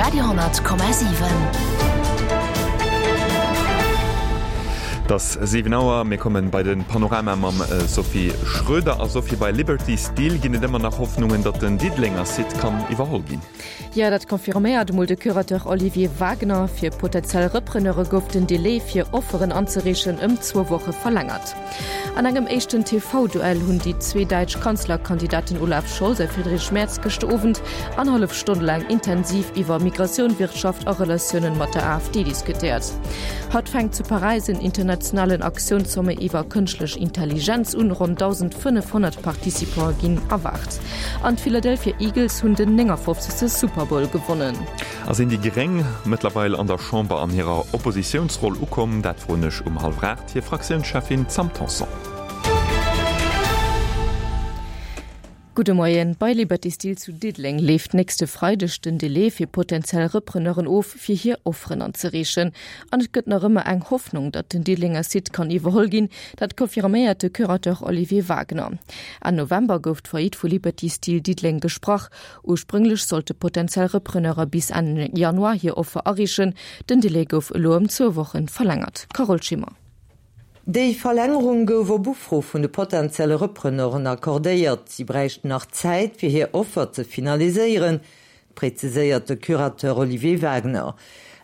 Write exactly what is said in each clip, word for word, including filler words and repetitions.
Radio honnert Komma siwen. Et ass siwen Auer, mir kommen bei den Panorama mam Sophie Schröder. A Sophie, bei Liberty Steel ginn et ëmmer nach Hoffnungen, datt den Diddelenger Site kann iwwerholl ginn. Jo, dat confirméiert emol de Curateur Olivier Wagner. Fir potentiell Repreneure gouf den Delai fir Offeren anzereechen ëm zwou Woche verlängert. An engem éischten T V-Duell hunn déi zwee däitsch Kanzlerkandidaten Olaf Scholz a Friedrich Merz gëschter Owend annerhallef Stonn laang intensiv iwwer Migratioun, Wirtschaft a Relatiounen mat der AfD diskutéiert. Haut fänkt zu Paräis en internationalen Aktiounssommet iwwer kënschtlech Intelligenz un. Ronn dausendfënnefhonnert Participante ginn erwaart. An d'Philadelphia Eagles hunn den néngafofzegste Super Bowl gewonnen. A sinn déi Gréng mëttlerweil an der Chamber an hirer Oppositiounsroll ukomm? Dat froen ech um hallwer aacht hir Fraktiounscheffin Sam Tanson. Gudde Moien. Bei Liberty Steel zu Diddeleng leeft nächste Freideg den Delai fir potentiell Repreneuren of, fir hir Offeren anzereechen. An et gëtt nach ëmmer eng Hoffnung, datt den Diddelenger Site kann iwwerholl ginn. Dat confirméiert de Curateur Olivier Wagner. Enn November gouf d'Faillite vu Liberty Steel Diddeleng gesprach. Ursprünglech sollte potentiell Repreneure bis Enn Januar hir Offer areechen. Den Delai gouf elo ëm zwou Wochen verlängert. Carole Schimmer. Déi Verlängerung gouf op Ufro vun de potenzielle Repreneuren accordéiert. Si bräichten nach Zäit, fir hir Offer ze finaliséieren, präziséiert de Curateur Olivier Wagner.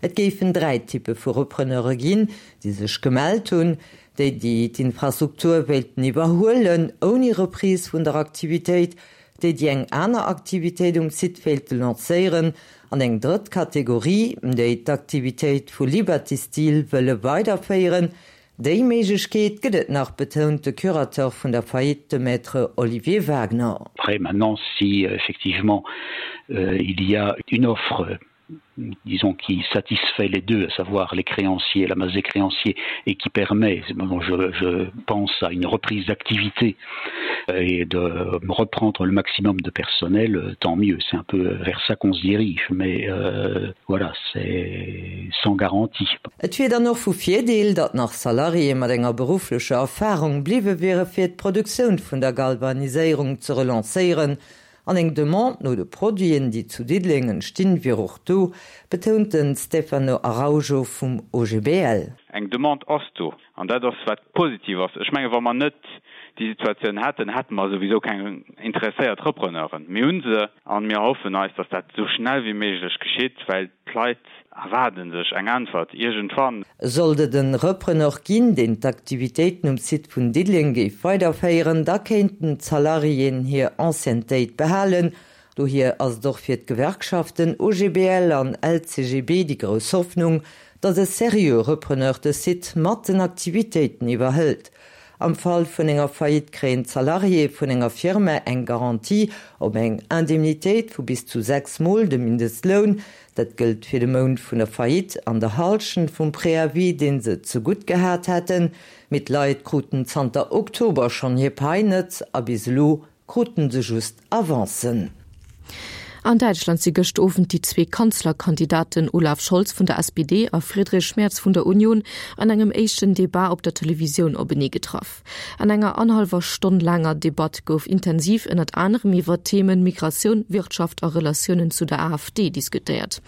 Et géifen dräi Typpe vu Repreneure ginn, déi sech gemellt hunn, déi, déi d'Infrastruktur wéilten iwwerhuelen, ouni Reprise vun der Aktivitéit, déi, déi eng aner Aktivitéit um Site wéilte lancéieren, an eng drëtt Kategorie, déi d'Aktivitéit vu Liberty Steel wëlle weiderféieren. Déi Méiglechkeet gëtt et nach, betount de Curateur vun der Faillite, de Maître Olivier Wagner. Après, maintenant, si effectivement il y a une offre, disons, qui satisfait les deux, à savoir les créanciers, la masse des créanciers, et qui permet, bon, je, je pense à une reprise d'activité et de reprendre le maximum de personnel, tant mieux, c'est un peu vers ça qu'on se dirige, mais euh, voilà, c'est sans garantie. Et wier dann och vu Virdeel, datt nach Salariéë mat enger berufflecher Erfarung bliwwe wiere fir d'Produktioun vun der Galvaniséierung ze relancéieren. An eng Demande no de Produiten, déi zu Diddeleng entstinn, wier och do, betount den Stefano Araujo vum O G B L. Eng Demande ass do, an dat ass wat positiv ass. Ech menge wa mer net déi Situatioun hätten, hätte mer souwisou keng interesséiert Repreneuren. Mir hunn se an mir hoffen eis, datt dat esou schnell wéi méiglech geschitt, well d'Leit erwaarden sech eng Äntwert iergendwann. Sollt et en Repreneur ginn, deen d'Aktivitéiten um Site vun Diddeleng géif weiderféieren, da kéinten d'Salariéen hir Anciennetéit behalen. Dohier ass et och fir d'Gewerkschaften O G B L an L C G B déi grouss Hoffnung, datt e serieux Repreneur de Site mat den Aktivitéiten iwwerhëlt. Am Fall vun enger Faillite kréien d'Salariéë vun enger Firma eng Garantie op eng Indemnitéit vu bis zu sechs Mol de Mindestloun. Dat gëllt fir de Mount vun der Faillite an der Hallschent vum Préavis, deen se zegutt gehat hätten. Mee d'Leit kruten zanter Oktober schonn hir Pai net a bis elo kruten se just Avancen. An Däitschland si gëschter Owend déi zwee Kanzlerkandidaten Olaf Scholz vun der S P D a Friedrich Merz vun der Union an engem éischten Debat op der Televisioun openee getraff. An enger annerhallwer Stonn laanger Debatt gouf intensiv ënnert anerem iwwer Themen Migratioun, Wirtschaft a Relatiounen zu der A F D diskutéiert.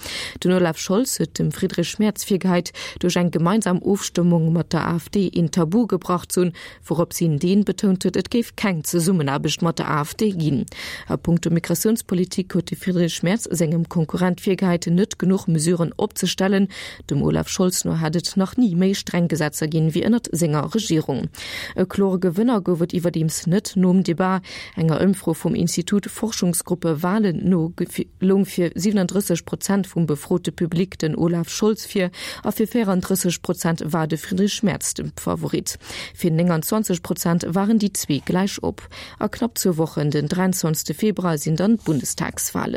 Den Olaf Scholz huet dem Friedrich Merz virgeheit, duerch eng gemeinsam Ofstëmmung mat der A F D een Tabu gebrach ze hunn, wourop si deen betount huet, et géif keng Zesummenaarbecht mat der A F D ginn. A puncto Migratiounspolitik huet de Friedrich Merz sengem Konkurrent virgeheit, net genuch Mesuren opzestellen. Dem Olaf Scholz no hätt et nach ni méi streng Gesetzer ginn wéi ënnert senger Regierung. E klore Gewënner gouf et iwwerdeems net nom Debat. Enger Ëmfro vum Institut Forschungsgruppe Wahlen no loung fir siewenunddrësseg Prozent vum befrote Publik den Olaf Scholz vir a fir vierunddrësseg Prozent war de Friedrich Merz de Favorit. Fir neunundzwanzeg Prozent waren déi zwee gläich op. A knapp zwou Wochen, den dreiundzwanzegste Februar, sinn dann d'Bundestagswahlen.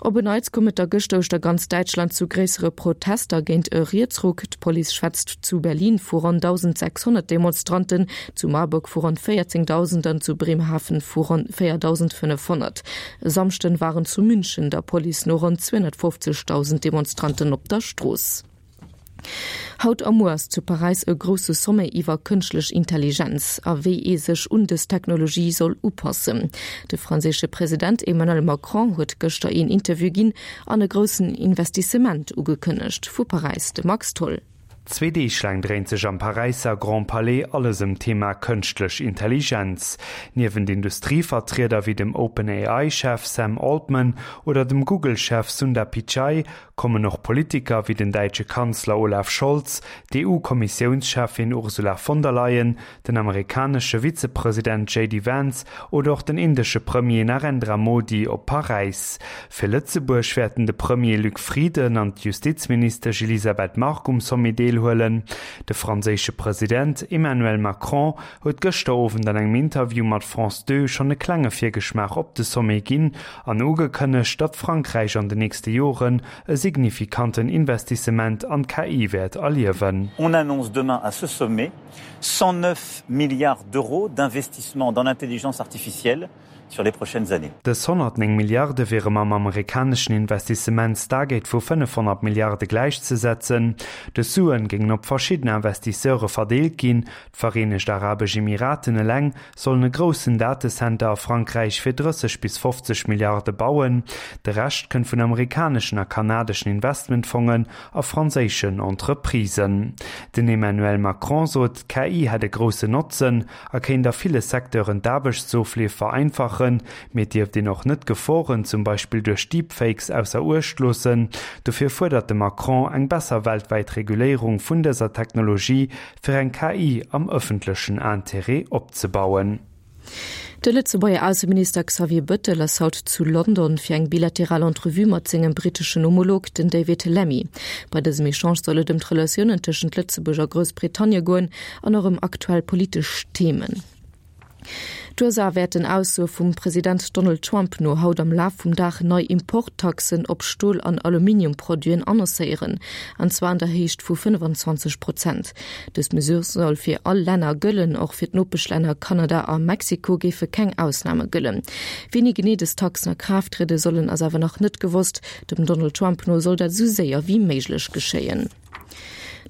Op en Neits koum et da gëschter uechter ganz Däitschland zu gréissere Protester géint e Rietsruck. D'Police schwätzt zu Berlin vu ronn tausendsechshonnert Demonstranten, zu Marburg vu ronn vierzéngtausend an zu Bremerhaven vu ronn viertausendfünfhundert. E Samschden waren zu München der Police no ronn zweihundertfünfzigtausend Demonstranten op der Strooss. Haut a muer ass zu Paräis e grousse Sommet iwwer kënschtlech Intelligenz a wéi ee sech un dës Technologie soll upassen. De franséische President Emmanuel Macron huet gëschter een Interview ginn an e groussen Investissement ugekënnegt. Vu Paräis de Max Tholl. Zwee Deeg laang dréint sech am Paräisser Grand Palais alles ëm d'Thema kënschtlech Intelligenz. Niewent Industrievertrieder wéi dem OpenAI-Chef Sam Altman oder dem Google-Chef Sundar Pichai kommen och Politiker wéi den däitsche Kanzler Olaf Scholz, d'EU-Kommissiounscheffin Ursula von der Leyen, den amerikanesche Vizepresident J D Vance oder och den indesche Premier Narendra Modi op Paräis. Fir Lëtzebuerg wäerten de Premier Luc Frieden an d'Justizministesch Elisabeth Margue um Sommet deelhuelen. De franséische President Emmanuel Macron huet gëschter Owend an engem Interview mat France Deux schonn e klenge Virgeschmaach op de Sommet ginn an ugekënnegt, datt Frankräich an den nächste Joren e signifikanten Investissement an d'K I wäert erliewen. On annonce demain à ce sommet cent neuf milliards d'euros d'investissement dans l'intelligence artificielle sur les prochaines années. Dës honnertnéng Milliarde wiere mam amerikaneschen Investissements-Target vu fënnefhonnert Milliarde gläichzesetzen. Dës Suen géingen op verschidden Investisseure verdeelt ginn. D'Vereenegt Arabesch Emiraten eleng sollen e groussen Datecenter a Frankräich fir drësseg bis fofzeg Milliarde bauen. De Rescht kënnt vun amerikaneschen a kanadeschen Investmentfongen a franséischen Entreprisen. Den Emmanuel Macron sot, d'K I hätt e groussen Notzen a kéint a ville Secteuren d'Aarbechtsofleef vereinfachen, mee et dierft een och net d'Geforen, zum Beispill duerch Deepfakes, ausser Uecht loossen. Dofir fuerdert de Macron eng besser weltwäit Reguléierung vun dëser Technologie, fir eng K I am ëffentlechen Interêt opzebauen. De Lëtzebuerger Ausseminister Xavier Bettel ass haut zu London fir eng bilateral Entrevue mat sengem britteschen Homolog, den David Lammy. Bei dësem Echange soll et ëm d'Relatiounen tëschent Lëtzebuerg a Groussbritannie goen an och ëm aktuell politesch Themen. D'U S A wäerten Aussoe vum President Donald Trump no haut am Laf vum Dag nei Importtaxen op Stol an Aluminiumproduiten annoncéieren, an zwar an der Héicht vu fënnefenzwanzeg Prozent. Dës Mesure soll fir all Länner gëllen, och fir d'Nopeschlänner Kanada a Mexiko géife keng Ausname gëllen. Wéini genee dës Taxen a Kraaft triede sollen, ass awer nach net gewosst. Dem Donald Trump no soll dat esou séier wéi méiglech geschéien.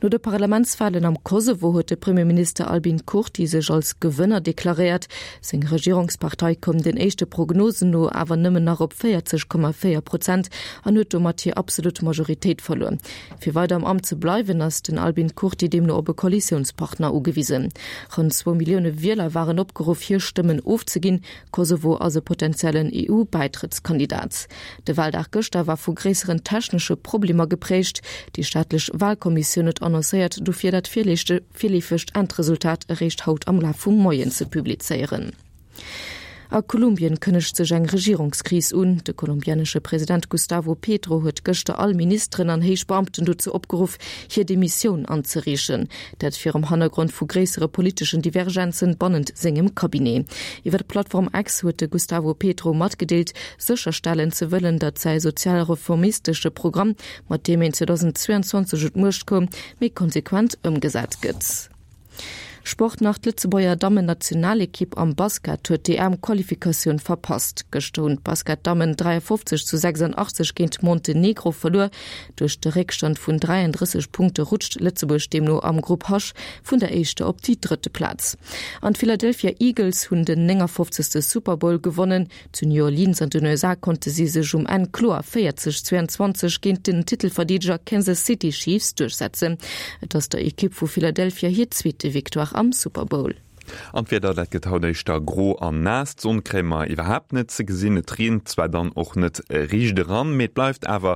No de Parlamentswalen am Kosovo huet de Premierminister Albin Kurti sech als Gewënner deklaréiert. Seng Regierungspartei koum den éischte Prognosen no awer nëmmen nach op véierzeg Komma véier Prozent an huet domat hir absolut Majoritéit verluer. Fir weider am Amt ze bleiwen, ass den Albin Kurti deemno op e Koalitiounspartner ugewisen. Ronn zwou Millioune Wieler waren opgeruff, hir Stëmmen ofzeginn. Kosovo ass e potentiellen E U-Bäitrëttskandidat. De Waldag gëschter war vu gréisseren technesche Problemer geprägt. Déi staatlech Walkommissioun huet annoncéiert, dofir dat virleefegt Endresultat eréischt haut am Laf vum Moien ze publizéieren. A Kolumbien kënnegt sech eng Regierungskris un. De kolumbianesche President Gustavo Petro huet gëschter all Ministeren an héich Beamten dozou opgeruff, hir Demissioun anzereechen. Dat virum Hannergrond vu gréissere politeschen Divergenzen bannent sengem Cabinet. Iwwer d'Plattform X huet de Gustavo Petro matgedeelt, sécherstellen ze wëllen, datt säi sozialreformistesche Programm, mat deem en zweedausendzweeanzwanzeg un d'Muecht koum, méi konsequent ëmgesat gëtt. Sport nach, D'Lëtzebuerger Dammen-Nationalekipp am Basket huet d'E M-Qualifikatioun verpasst. Gëschter hunn d'Basket-Dammen dräiafofzeg zu sechsandachtzeg géint Montenegro verluer. Duerch de Réckstand vun dräiandrësseg Punkte rutscht Lëtzebuerg deemno am Grupp H vun der éischter op déi drëtte Plaz. An d'Philadelphia Eagles hunn den néngafofzegste Super Bowl gewonnen. Zu New Orleans an den U S A konnte si sech um Enn kloer véierzeg zweiandzwanzeg géint den Titelverdeedeger Kansas City Chiefs duerchsetzen. Et ass der Ekipp vu Philadelphia hir zweete Victoire am Super Bowl. An d'Wieder, dat gëtt haut éischter gro an naass. D'Sonn kréie mer iwwerhaapt net ze gesinn. Et reent zwar dann och net riicht eran, mee et bleift awer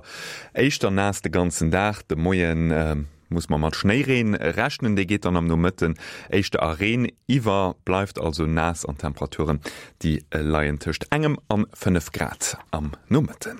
éischter naass de ganzen Dag. De Moien muss mer mat Schnéireen rechnen, dee geet dann am Nomëtten éischter a Reen iwwer, bleift also naass an d'Temperaturen, déi leien tëscht engem an fënnef Grad am Nomëtten.